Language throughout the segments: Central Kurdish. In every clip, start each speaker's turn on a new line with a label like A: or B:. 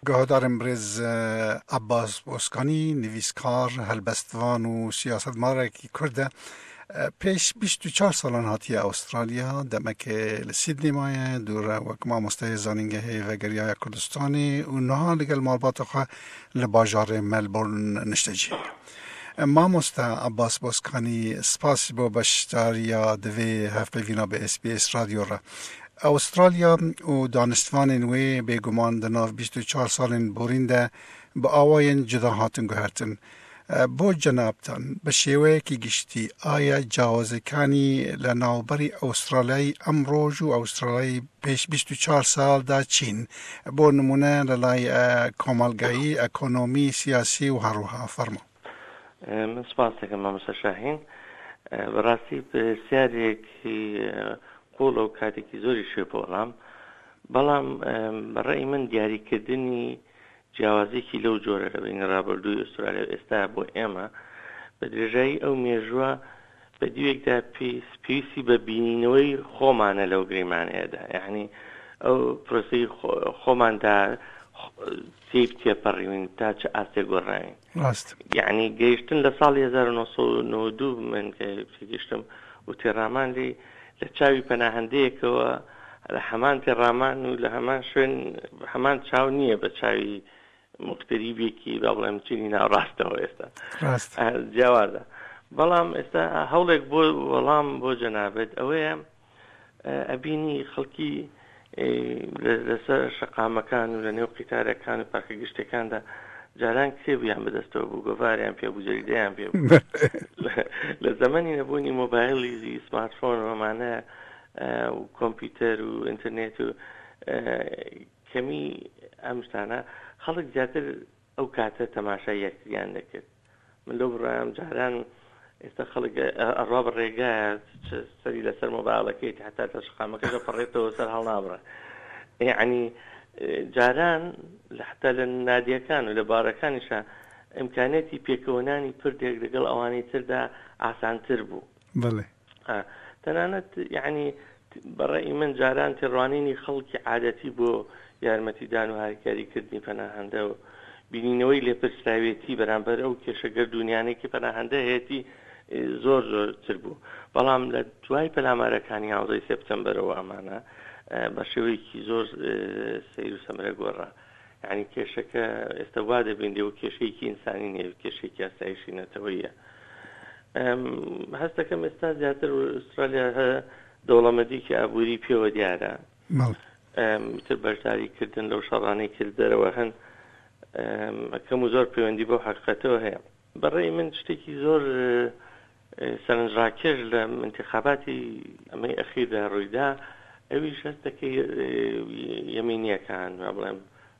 A: Guhdarên birêz Abbas Boskanî nivîskar, helbestvan û siyasetmarekî Kurd e. Pêş 24 salan hatiye Awistralya, demekê li Sydney maye, dû re wek mamosteyê zanîngehê vegeriyaye Kurdistanê û niha li gel malbata xwe li bajarê Melbourne niştecih ye. Mamoste Abbas Boskanî spas bo beşdariya di vê hevpeyvîna bi SBS Radio re. Awistralya û daniştvanên wê bêguman di nav 24 salên borîn de bi awayên cuda hatin guhertin. Bo cenabtan bi şêweyekî giştî aya cawazêkanî li navberî Awistralyayî emroj û Awistralyayî pêş 24 sal de çîn? Bo nimûne li lay komelgayî, ekonomî, siyasî û herwiha. Fermo.
B: Min spas dikim mamosta Şahîn. Bi rastî pirsyarêkî قوڵە و کاتێکی زۆریش هەیە بۆ وەڵام. بەڵام بە ڕەئی من دیاریکردنی جیاوازیەکی لەو جۆرە لە بەینی ڕابردووی ئوسترالیا و ئێستا بۆ ئێمە بە درێژایی ئەو مێژووە بە دیوێکدا پێویستی بە بینینەوەی خۆمانە لەو گریمانەیەدا یعنی ئەو پرۆسەی خۆماندا تێی تێپەڕیوین تا چ ئاستێک گۆڕاوین
A: ڕاست
B: یعنی گەیشتن لە ساڵی 1992 من کە گەیشتم و تێڕامان لێی لە چاوی پەناهەندەیەکەوە لە هەمان تێڕامان و لە هەمان شوێن هەمان چاو نییە بە چاوی موغتەریبێکی با بڵێم چینی ناوڕاستەوە ئێستا
A: ڕاست
B: جیاوازە بەڵام ئێستا هەوڵێک بۆ وەڵام بۆ جەنابت ئەوەیە ئەبینی خەڵکی لەسەر شەقامەکان و لە نێو قیتارەکان و پارکە گشتەکاندا جاران کتێبیان بەدەستەوە بوو گۆڤاریان پێ بوو جەریدەیان پێ بوو لە زەمەنی نەبوونی مۆبایلی سمارتفۆن و ئەمانە و کۆمپیوتەر و ئینتەرنێت و کەمی ئەم شتانە خەڵک زیاتر ئەو کاتە تەماشای یەکتریان دەکرد من لەو بڕوایەم جاران ئێستا خەڵک ئەڕوا بە ڕێگایە سەری لەسەر مۆبایلەکەی هەتا لە شەقامەکەش ئەپەڕێتەوە سەر هەڵنابڕێ یعنی جاران لە حتا لە نادیەکان و لە بارەکانیشا ئیمکانیەتی پێکەوەنانی پردێک لەگەڵ ئەوانەی تردا ئاسانتر بوو.
A: بەڵێ.
B: تەنانەت یەعنی بە ڕەئی من جاران تێڕوانینی خەڵکی عادەتی بۆ یارمەتیدان و هاریکاری کردنی پەناهەندە و بینینەوەی لێپرسراوێتی بەرامبەر ئەو کێشە گەردوونیانەی کە پەناهەندە هەیەتی زۆر زۆرتر بوو بەڵام لە دوای پەلامارەکانی یانزەی سێپتەمبەرەوە ئەمانە بە شێوەیەکی زۆر سەیر و سەمەرە گۆڕا یعنی کێشەکە ئێستا وا دەبینرێ و کێشەیەکی ئینسانی نییە کێشەیەکی ئاسایشی نەتەوەیە هەست دەکەم ئێستا زیاتر ئوسترالیا دەوڵەمەندیکی ئابووری پێوە دیارە تر بەشداری کردن لەو شەڕانەی کرد دەرەوە هەن کەم و زۆر پەیوەندی بەو حقیقەتەوە هەیە بەڕێی من شتێکی زۆر سەرنجڕاکێش لە انتخاباتی ئەمەی ئەخیردا ڕوویدا ئەویش هەست دەکەی یەمینیەکان بڵێم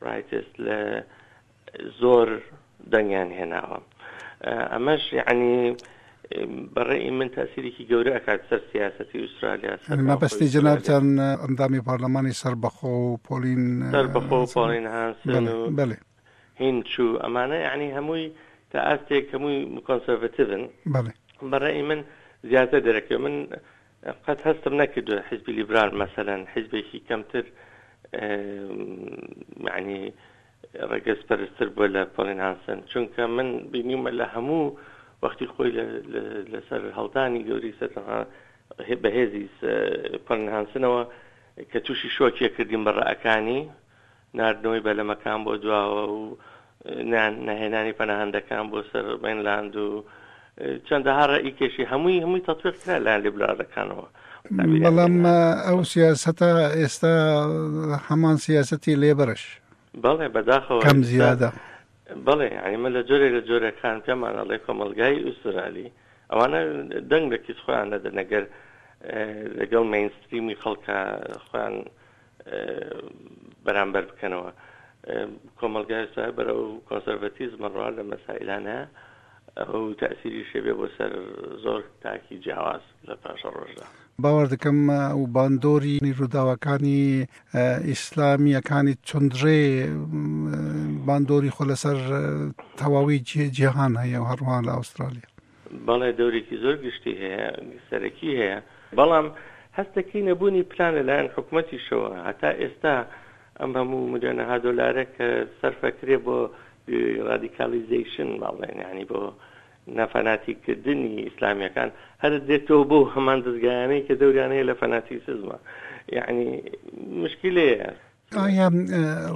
B: ڕایتست لە زۆر دەنگیان هێناوە ئەمەش یعنی بەڕێی من تاسیرێکی گەورە ئەکات سەر سیاستی ئوسترالیا
A: مەبەستی جەنابتان ئەندامی پەرلەمانی سەربەخۆ و پۆلین
B: سەربەخۆ و پۆلین هانسن و
A: بەێ
B: هینچ و ئەمانە یعنی هەمووی تا ئاستێک هەمووی کۆنسەرڤتیڤن
A: بەڵێ
B: بەڕێی من زیاتر دەرەکەوێت من قەت هەستم نەکردووە حیزبی لیبرال مەسەلەن حیزبێکی کەمتر یعنی ڕەگەزپەرستر بووە لە پۆلین هانسن چونکە من بینیومە لە هەموو وەختی خۆی لەسەر هەڵدانی گەوری سەر بەهێزی پۆلین هانسنەوە کە تووشی شۆکێ کردیم بە ڕەئەکانی ناردنەوەی بەلەمەکان بۆ دواوە و نەهێنانی پەناهەندەکان بۆ سەر مەینلاند و چەندەها ڕەئی کێشی هەمووی هەمووی تەتبیق کرا لایەن لیبرالەکانەوە.
A: بەڵام ئەو سیاسەتە ئێستا هەمان سیاسەتی لێبەرش.
B: بەڵێ بەداخەوە
A: کەم زیادە.
B: بەڵێ یانی من لە جۆرێک لە جۆرەکان پێمان ئەڵێ کۆمەڵگای ئوسترالی ئەوانە دەنگ لە کیس خۆیان نەدەن ئەگەر لەگەڵ مەینستریمی خەڵکە خۆیان بەرامبەر بکەنەوە. کۆمەڵگای ئێستا بەرەو کۆنسەرڤەتیزم ئەڕوا لە مەسائیلانە ئەو تەئسیریش هەبێ بۆ سەر زۆر تاکی جیاواز لە پاشەڕۆژدا.
A: باوەڕ دەکەم و باندۆری ڕووداوەکانی ئیسلامییەکانی توندڕێ باندۆری خۆ لەسەر تەواوی جیهان هەیە و هەروەها لە ئوسترالیا.
B: بەڵێ دەورێکی زۆر گشتی هەیە، سەرەکی هەیە، بەڵام هەست دەکەی نەبوونی پلان لەلایەن حکومەتیشەوە هەتا ئێستا. ئەم هەموو ملیۆنەها دۆلارە کە سەرفەکرێ بۆ ڕادیکالیزەیشن با بڵێن یانی بۆ نافەناتیککردنی ئیسلامیەکان هەر دێتەوە بۆ هەمان دەزگایانەی کە دەوریان هەیە لە فەناتیسزمە یعنی مشکلەیە.
A: ئایا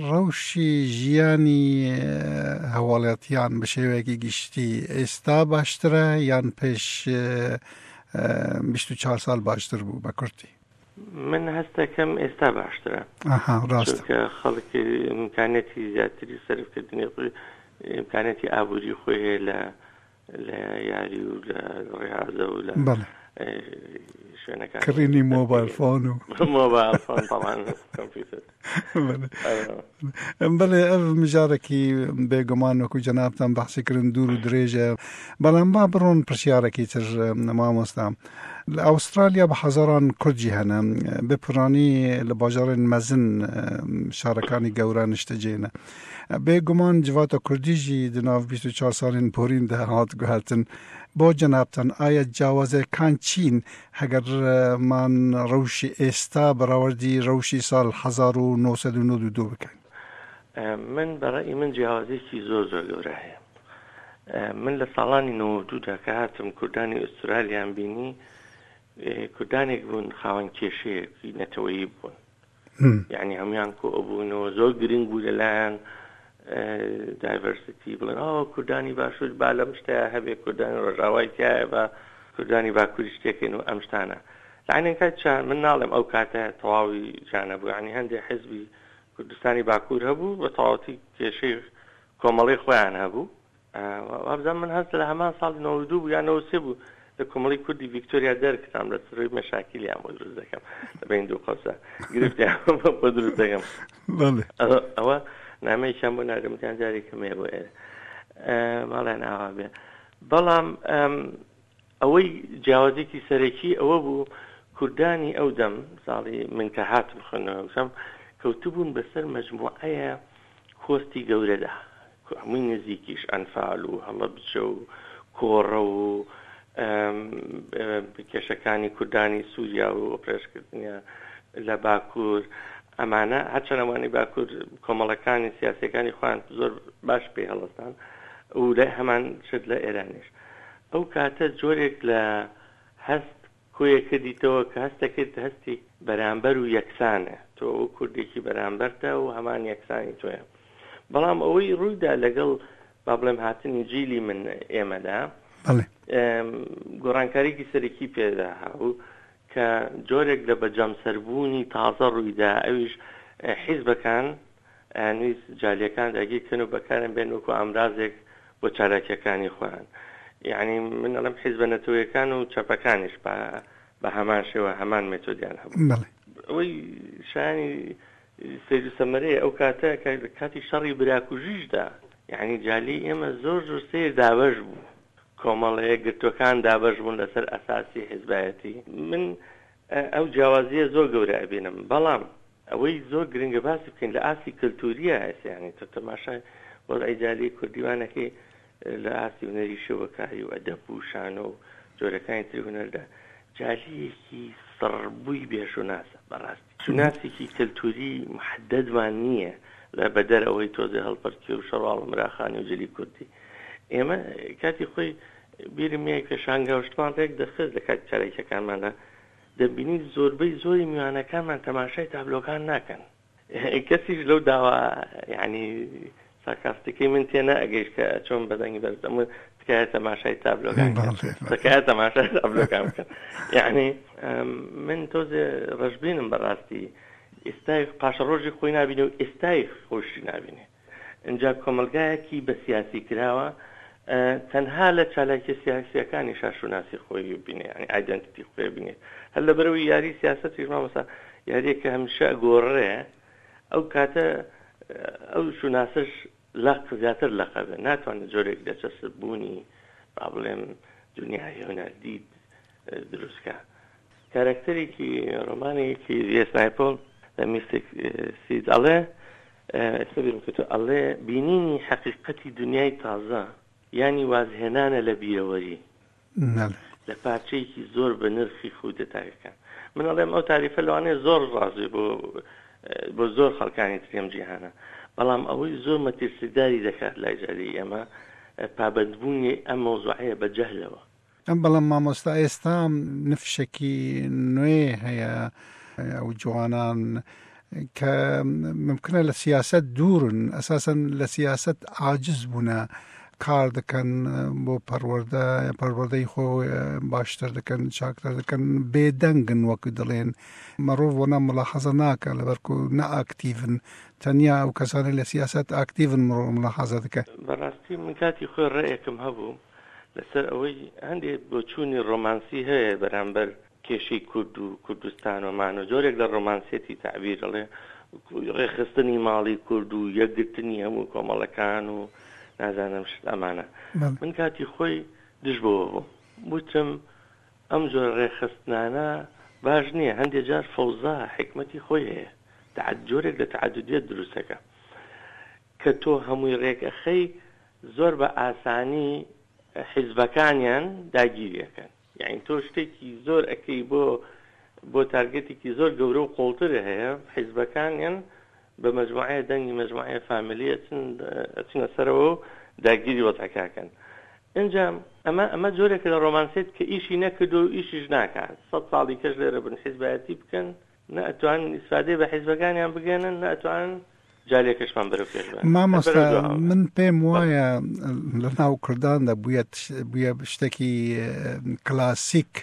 A: ڕەوشی ژیانی هاوڵاتیان بە شێوەیەکی گشتی ئێستا باشترە یان پێش 24 سال باشتر بوو بە کورتی؟
B: من هەستەکەم ئێستا باشترە
A: ئەها ڕاستە.
B: چونکە خەڵک ئیمکانیەتی زیاتری سەرفکردنی خۆی ئیمکانیەتی ئابووری خۆی هەیە لە لە یاری و لە ڕێهازە و لە
A: بەڵێ
B: شوێنەکانی
A: کڕینی مۆبایل فۆن و
B: مۆبایل فۆن تەبعەن کۆمپیوتەر
A: بەڵێ بەڵێ ئەv مژارێکی بێگومان وەکو جەنابتان بەحسی کردن دوور و درێژە بەڵام با بڕۆن پرسیارێکی تر مامۆستا لە ئوسترالیا بە هەزاران کوردجی هەنە بە پرانی لە باژارên مezin شارەکانی گەورە نیشتەجێنە بێگومان جڤاتە کوردی ژی di nav 24 salên porîn de hat guhertin بۆ جەنابتان ئایا جیاوازیەکان چین هەگەر مان ڕەوشی ئێستا بەراوردی ڕەوشی ساڵ 1992 بکەین؟
B: من بە ڕەئی من جیاوازیەکی زۆر زۆر گەورە هەیە. من لە ساڵانی 92 دا کە هاتم کوردانی ئوسترالیام بینی کوردانێک بوون خاوەن کێشەیەکی نەتەوەیی بوون. یعنی هەموویان کۆ ئەبوونەوە زۆر گرنگ بوو لەلایەن دایڤەرسیتی بڵێن ئەوە کوردانی باشوور با لەم شتەیە هەبێ کوردانی ڕۆژاوای تایە بە کوردانی باکووری شتێکن و ئەم شتانە لەعینەن کات چا من ناڵێم ئەو کاتە تەواوی جانە بوو یعنی هەندێک حزبی کوردستانی باکوور هەبوو بە تەواوەتی کێشەی کۆمەڵی خۆیان هەبوو وابزانم من هەست لە هەمان ساڵی 92 بوو یا 93 بوو لە کۆمەڵی کوردی ڤیکتۆریا دەرکرام لە سەروی مەشاکیلیان بۆ دروست دەکەم لە بین دوو قەوسە گرفتیان بۆ دروست دەکەم ئەوە نامەیەکیان بۆ ناردم وتیان جارێکم هەیە بۆ ئێرە ماڵیان ئاوا بێ بەڵام ئەوەی جیاوازێکی سەرەکی ئەوە بوو کوردانی ئەو دەم ساڵی من کە هاتم خوێندنەوە کەوتبوون بەسەر مەجموعەیە کۆستی گەورەدا هەمووی نزیکیش ئەنفال و هەڵەبجە و کۆڕەو و کێشەکانی کوردانی سووریا و ئۆپرێشکردنیان لە باکوور ئەمانە هەرچەند ئەوانەی باکوور کۆمەڵەکانی سیاسیەکانی خۆیان زۆر باش پێی هەڵستان و لە هەمان شت لە ئێرانیش ئەو کاتە جۆرێک لە هەست کۆیە کردیتەوە کە هەستەکرد هەستی بەرامبەر و یەکسانە تۆ ئەو کوردێکی بەرامبەرتە و هەمان یەکسانی تۆیە بەڵام ئەوەی ڕوویدا لەگەڵ با بڵێم هاتنی جیلی من ئێمەدا گۆڕانکاریکی سەرەکی پێدا هاو کە جۆرێک لە بەجەمسەربوونی تازە ڕوویدا ئەویش حیزبەکان ئەیانویست جالیەکان داگیر کەن و بەکاریان بێنن وەکو ئامرازێک بۆ چالاکیەکانی خۆیان. یەعنی من ئەڵێم حیزبە نەتەوەیەکان و چەپەکانیش بە بە هەمان شێوە هەمان مێتۆدیان هەبوو.
A: بەڵێ.
B: ئەوەی شایانی سەیر و سەمەرەیە ئەو کاتە کە لە کاتی شەڕی براکوژیشدا یەعنی جالی ئێمە زۆر زۆر سەیر دابەش بوو. کۆمەڵە یەکگرتووەکان دابەش بوون لەسەر ئەساسی حیزبایەتی. من ئەو جیاوازییە زۆر گەورە ئەبینم. بەڵام ئەوەی زۆر گرنگە باسی بکەین لە ئاستی کەلتوریە ئێستا یانی تۆ تەماشای وەزعی جالیی کوردی وا نەکەی لە ئاستی هونەری شێوەکاری و ئەدەب و شانۆ و جۆرەکانی تری هونەردا جالییەکی سڕبووی بێ شوناسە بەڕاستی شوناسێکی کەلتوری محەدەدمان نییە لە بەدەر ئەوەی تۆزێ هەڵپەرکێ و شەڕواڵ و مراخانی و جلی کوردی ئێمە کاتی خۆی بیرم یە پێشانگا و شتمان ڕێک دەخست لە کاتی چالاکیەکانماندا دەبینی زۆربەی زۆری میوانەکانمان تەماشای تابلۆکان ناکەن کەسیش لەو داوا یعنی سارکاستیکەی من تێ نەئەگەیشت کە چۆن بە دەنگی بەرز دەموت تکایە تەماشای تابلۆکان بکەن تکایە تەماشای تابلۆکان بکەن یعنی من تۆزێ ڕەشبینم بەڕاستی ئێستای پاشەڕۆژی خۆی نابینێ و ئێستای خۆشی نابینێ ئینجا کۆمەڵگایەکی بە سیاسی کراوە تەنها لە چالاکیە سیاسیەکانیشا شوناسی خۆی بینێ یانی ئایدنتیتی خۆی بینێت هەر لەبەرەوەی یاری سیاسەتیش مامۆستا یاریەکە هەمیشە گۆڕێ ئەو کاتە ئەو شوناسش لەق زیاتر لەقە بێ ناتوانێت جۆرێک لە چەسپ بوونی با بڵێم دنیای هونەردید دروستکە کارەکتەرێکی ڕۆمانێکی ڤی ئێس نایپۆل لە میستیک سید ئەڵێ ئێستا بیرم کەوتەوە ئەڵێ بینینی حەقیقەتی دنیای تازە یانی وازهێنانە لە بیرەوەری لە پارچەیەکی زۆر بە نرخی خودە تاکەکان. من ئەڵێم ئەو تاریفە لەوانەیە زۆر ڕاست بێ بۆ بۆ زۆر خەڵکانی تری ئەم جیهانە. بەڵام ئەوەی زۆر مەترسیداری دەکات لای جاری ئێمە پابەندبوونی ئەم مەوزوعەیە بە جەهلەوە.
A: بەڵام مامۆستا ئێستا نفشێکی نوێ هەیە ئەو جوانان کە ممکنە لە سیاست دوورن ئەساسەن لە سیاست عاجز بوونە کار دەکەن بۆ پەروەردە پەروەردەی خۆ باشتر دەکەن چاکتر دەکەن بێدەنگن وەکو دەڵێن مەڕۆڤ وەنا ملاحەزە ناکە لەبەرکو نە ئاکتیڤن تەنیا ئەو کەسانەی لە سیاسەت ئاکتیڤن مڕۆ ملاحەزە دەکە.
B: بەڕاستی من کاتی خۆی ڕەئێکم هەبوو لەسەر ئەوەی هەندێ بۆچوونی ڕۆمانسی هەیە بەرامبەر کێشەی کورد و کوردستان و مانۆ جۆرێک لە ڕۆمانسیەتی تەعبیر ئەڵێ ڕێکخستنی ماڵی کورد و یەکگرتنی هەموو کۆمەڵەکان و نازانم شت ئەمانە من کاتی خۆی دژ بەوە بووم وتم ئەم جۆرە ڕێکخستنانە باش نییە، هەندێ جار فەوزا حیکمەتی خۆی هەیە، تەعەد جۆرێک لە تەعەدودیەت دروست ئەکا کە تۆ هەمووی ڕێک ئەخەی زۆر بە ئاسانی حیزبەکانیان داگیری ئەکەن، یەعنی تۆ شتێکی زۆر ئەکەی بۆ بۆ تارگێتێکی زۆر گەورە و قوڵتر هەیە حیزبەکانیان بە مەجموعەیە دەنگی مەجموعەیە فامیلی ئەچن ئەچنە سەرەوە و داگیری وەزعەکە ئەکەن ئینجا ئەمە ئەمە جۆرێکە لە ڕۆمانسیەت کە ئیشی نەکردووە و ئیشیش ناکات سەد ساڵی کەش لێرە بن حیزبایەتی بکەن نە ئەتوانن ئیسفادەی بە حیزبەکانیان بگەنن نە ئەتوانن جالێکەشمان بەرەو پێش بەرن هەر
A: مامۆستا
B: بەرەو دواوە
A: من پێم وایە لە ناو کورداندا بوویە بوویە شتێکی کلاسیک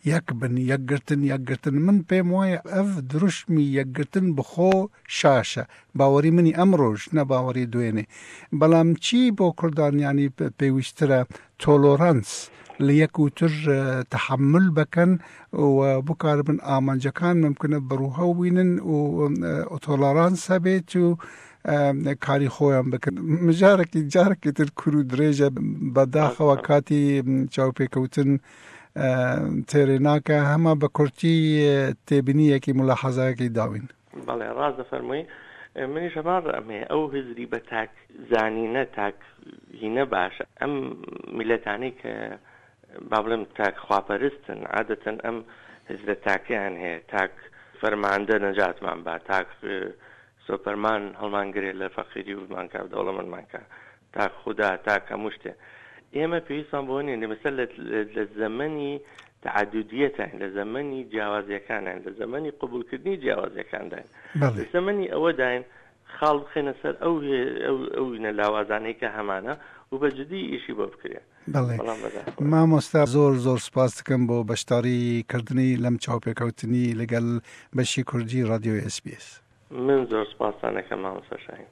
A: یەک بن، یەکگرتن، یەکگرتن، من پێم وایە ئەڤ دروشمی یەکگرتن بخۆ شاشە، باوەری منی ئەمڕۆش نە باوەری دوێنێ، بەڵام چی بۆ کوردان یانی پێویستترە تۆلۆرانس لە یەک و تر تەحەمول بەکەن و بکاربن ئامانجەکان ممکنە بڕوهەو بینن و تۆلۆرانس هەبێت و کاری خۆیان بکەن مژارێکی جارێکی تر کور و درێژە بەداخەوە کاتی چاوپێکەوتن تێرێ ناکا هەمە بە کورتی تێبینیەکی مولاحەزایەکی داوین.
B: بەڵێ ڕاست دەفەرمووی منیش هەمان ڕەئم هەیە ئەو هزری بە تاک زانینە تاک هینە باشە ئەم میللەتانەی کە با بڵێم تاک خواپەرستن عادەتەن ئەم هزرە تاکەیان هەیە تاک فەرماندە نەجاتمان با تاک سۆپەرمان هەڵمانگرێ لە فەقیری و بمانکا دەوڵەمەندمان کا تاک خودا تاک هەموو شتێ ئێمە پێویستمان بەوە نیە مەسەل لە زەمەنی تەعەدودیەتاین لە زەمەنی جیاوازیەکانین لە زەمەنی قبوڵکردنی جیاوازیەکانداین لە زەمەنی ئەوەداین خاڵ بخەینە سەر ئەو ئەو لاوازانەی کە هەمانە و بە جدی ئیشی بۆ بکرێ.
A: بەڵێ مامۆستا زۆر زۆر سپاس دەکەم بۆ بەشداری کردنی لەم چاوپێکەوتنی لەگەل بەشی کوردی ڕادیۆی ئێس بی ئێس.
B: من زۆر سپاستان ئەکەم مامۆستا شاهین.